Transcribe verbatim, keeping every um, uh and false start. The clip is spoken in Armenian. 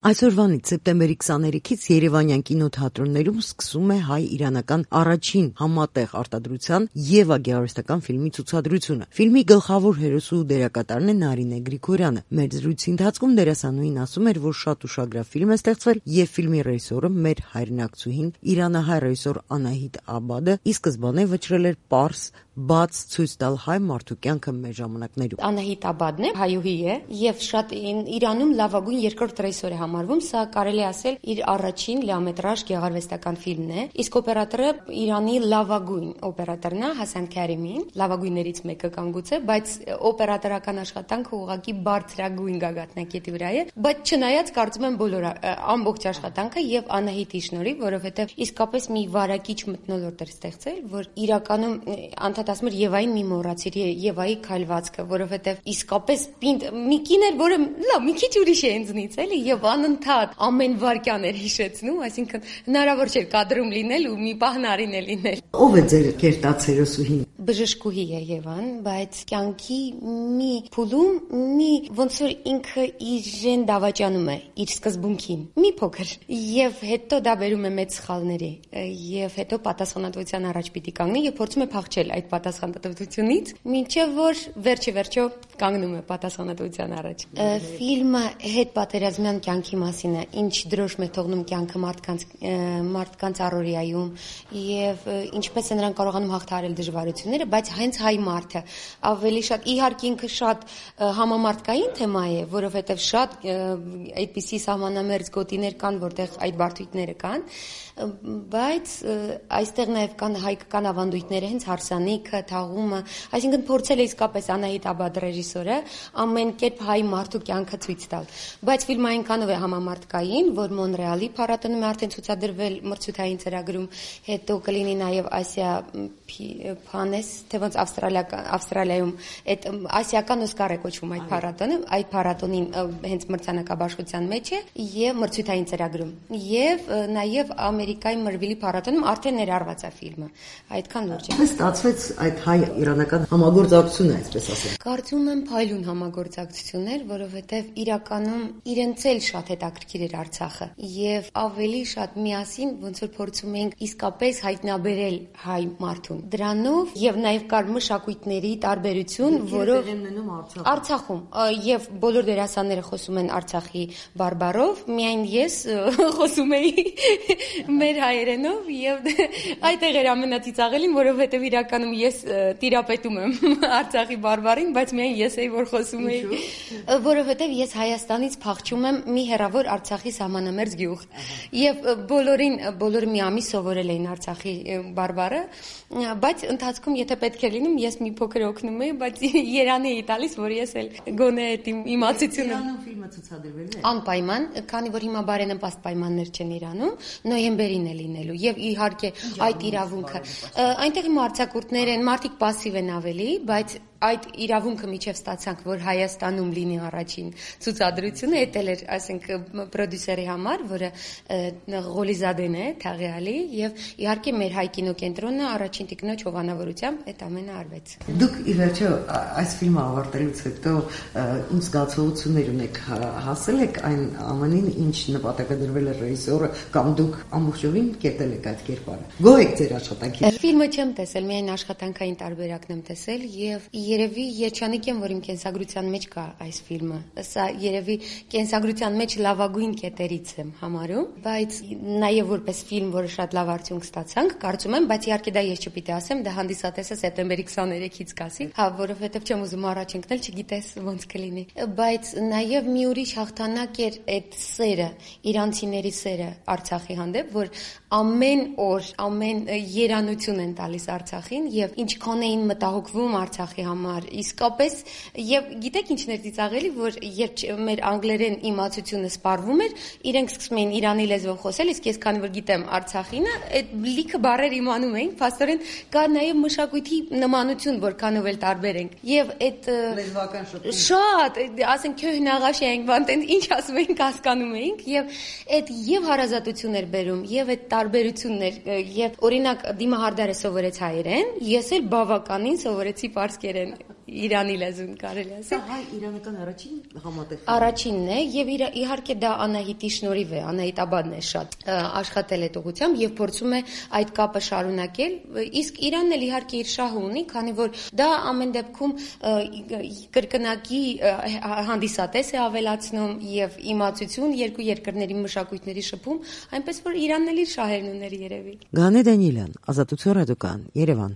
Այսօրվանից սեպտեմբերի քսաներեքից Երևանյան կինոթատրոններում սկսում է հայ-իրանական առաջին համատեղ արտադրության Եվա գեղարվեստական ֆիլմի ցուցադրությունը։ Ֆիլմի գլխավոր հերոսու դերակատարն է Նարինե Գրիգորյանը։ Մեր զրույցի ընթացքում դերասանուհին ասում էր, որ շատ ուշագրավ ֆիլմ է ստեղծվել եւ ֆիլմի ռեժիսորը մեր հայրենակցուհին իրանահայ ռեժիսոր Անահիտ Աբադը ի սկզբանե վճռել էր պարզ բաց ցույց տալ հայ մարդու կյանքը մեր ժամանակներում։ Անահիտ Աբադն է, հայուհի է եւ շատ Իրանում լավագույն երկրորդ ռեժիսոր է համարվում, սա կարելի ասել իր առաջին լիամետրաժ գեղարվեստական ֆիլմն է, իսկ օպերատորը Իրանի լավագույն օպերատորն է Հասան Քարիմին, լավագույններից մեկը կան գուցե, բայց օպերատորական աշխատանքը ուղղակի բարձրագույն գագաթնակետի վրա է, բայց չնայած կարծում եմ բոլոր ամբողջ աշխատանքը եւ Անահիտի շնորհիվ, որովհետեւ իսկապես մի վարակիչ մթնոլորտ էր ստեղծել, որ իրականում անդադ ասում էր Եվային մի մոռացիր, Եվայի քայլվածքը, որովհետեւ իսկապես պինդ մի կին էր, որը լավ մի քիչ ուրիշ է ինձնից, էլի, եւ անընդհատ ամեն վարքյան էր հիշեցնում, այսինքն հնարավոր չէր կադրում լինել ու մի պահ Նարին է լինել։ Ո՞վ է ձեր կերտած հերոսուհին։ Բժշկուհի է Եվան, բայց կյանքի մի փուլում մի ոնց որ ինքը իրեն դավաճանում է իր սկզբունքին, մի փոքր, եւ հետո դա բերում է մեծ սխալների, եւ հետո պատասխանատվության առաջ պիտի կանգնի եւ փորձում է փախչել այդ պատասխանատվությունից, մինչեւ որ վերջի վերջո կանգնում է պատասխանատվության առաջ։ Ֆիլմը հետ պատերազմյան կյանքի մասին է, ինչ դրոշմ է թողնում կյանքը մարդկանց մարդկանց առօրյայում եւ ինչպես են նրանք կարողանում հաղթահարել դժվարությունները, բայց հենց հայ մարդը ավելի շատ իհարկե ինքը շատ համամարտկային թեմա է, որովհետեւ շատ այդպիսի սահմանամերձ գոտիներ կան, որտեղ այդ բարդությունները կան, բայց այստեղ նաեւ կան հայկական ավանդույթները, հենց հարսանիքը, թաղումը, այսինքն փորձել է իսկապես Անահիտ Աբադ ռեժիսորը ամեն կերպ հայ մարդու կյանքը ցույց տալ, բայց ֆիլմը այնքանով է համամարտկային, որ Մոնրեալի փառատոնում է արդեն ցուցադրվել մրցութային ծրագրում, հետո կլինի նաեւ Ասիա Փանես, թե ոնց Ավստրալիայում այդ ասիական Օսկար է կոչվում այդ փառատոնը, այդ փառատոնին հենց մրցանակաբաշխության մեջ է եւ մրցութային ծրագրում եւ նաեւ Ամերիկայի Մրվիլի փառատոնում արդեն ներառված է ֆիլմը, այդքան լուրջ է։ Ո՞նց ստացվեց այդ հայ-իրանական համագործակցությունը, այսպես ասեմ։ Կարծում եմ փայլուն համագործակցություն էր, որովհետեւ իրականում իրենց էլ շատ հետաքրքիր էր Արցախը եւ ավելի շատ միասին ոնց որ փորձում էինք իսկապես հայտնաբերել հայ մարդուն։ Դրանով եւ նաեւ կար մշակույթների տարբերություն, որով Արցախում եւ բոլոր դերասանները խոսում են Արցախի բարբառով, միայն ես խոսում էի մեր հայերենով եւ այդտեղ էր ամենածիծաղելին, որովհետեւ իրականում ես տիրապետում եմ Արցախի բարբառին, բայց միայն ես էի որ խոսում էի, որովհետեւ ես Հայաստանից փախչում եմ մի հեռավոր Արցախի սահմանամերձ գյուղ եւ բոլորին բոլորը մի ամիս սովորել էին Արցախի բարբառը, բայց ընթացքում եթե պետք է լինում ես մի փոքր օգնում էի, բայց երանի էի տալիս, որ ես էլ գոնե այդ իմ իմացությունը Իրանում ֆիլմը ցուցադրվել է։ Անպայման, քանի որ հիմա բարենպաստ պայմաններ չեն Իրանում, նոյեմբերին է լինելու եւ իհարկե այդ իրավունքը այնտեղ իմ արձակուրդներ են, մարդիկ пассив են ավելի, բայց այդ իրավունքը միջև ստացանք, որ Հայաստանում լինի առաջին ցուցադրությունը, էդ էլ էր, ասենք, պրոդյուսերի համար, որը Ղոլիզադեն է, Թաղեալի, եւ իհարկե մեր հայ կինոկենտրոնը առաջին տիկնոջ հովանավորությամբ այդ ամենը արվեց։ Դուք ի վերջո այս ֆիլմը ավարտելուց հետո ինչ զգացողություններ ունեք, հասել եք այն ամենին, ինչ նպատակադրվել է ռեժիսորը, կամ դուք ամբողջովին կերտել եք այդ կերպարը։ Գոհ եք ձեր աշխատանքից։ Ֆիլմը չեմ տեսել, միայն աշխատանքային տարբերակն եմ տեսել եւ երևի երջանիկ եմ, որ իմ կենսագրության մեջ կա այս ֆիլմը։ Սա երևի կենսագրության մեջ լավագույն կետերից եմ համարում, բայց նաև որպես ֆիլմ, որը շատ լավ արդյունք ստացանք, կարծում եմ, բայց իհարկե դա ես չպիտի ասեմ, դա հանդիսատեսը սեպտեմբերի քսաներեքից կասի, հա, որովհետև չեմ ուզում առաջ ընկնել, չգիտես ոնց կլինի։ Բայց նաև մի ուրիշ հաղթանակ էր այդ սերը, իրանցիների սերը Արցախի հանդեպ, որ ամեն օր, ամեն երանություն են տալիս Արցախին եւ ինչքան էին մտահոգվում Արցախի համար, իսկապես եւ գիտեք ինչն էր ծիծաղելի, որ երբ մեր անգլերեն իմացությունը սպառվում էր, իրենք սկսում էին իրանի լեզվով խոսել, իսկ ես քանի որ գիտեմ Արցախինը, այդ լիքը բառեր իմանում էին, փաստորեն կա նաեւ մշակույթի նմանություն, որքանով էլ տարբեր ենք։ Եվ այդ լեզվական շփում շատ, ասենք քյոհնաղաշ էինք, բանտեն ինչ ասում էինք, հասկանում էինք եւ այդ եւ հարազատություն էր բերում, եւ այդ տարբերություններ, եւ օրինակ Դիմա Հարդարը սովորեց հայերեն, ես էլ բավականին սովորեցի պարսկերեն Իրանի լեզուն կարելի ասել։ Սա հայ-իրանական առաջին համատեղ Առաջինն է եւ իր իհարկե դա Անահիտի շնորհիվ է, Անահիտ Աբադն է շատ աշխատել այդ ուղղությամբ եւ փորձում է այդ կապը շարունակել, իսկ Իրանն էլ իհարկե իր շահը ունի, քանի որ դա ամեն դեպքում կրկնակի հանդիսատես է ավելացնում եւ իմացություն երկու երկրների մշակույթների շփում, այնպես որ Իրանն էլ իր շահերն ուներ երևի։ Գանե Դանիելյան, Ազատություն ռադիոկան, Երևան։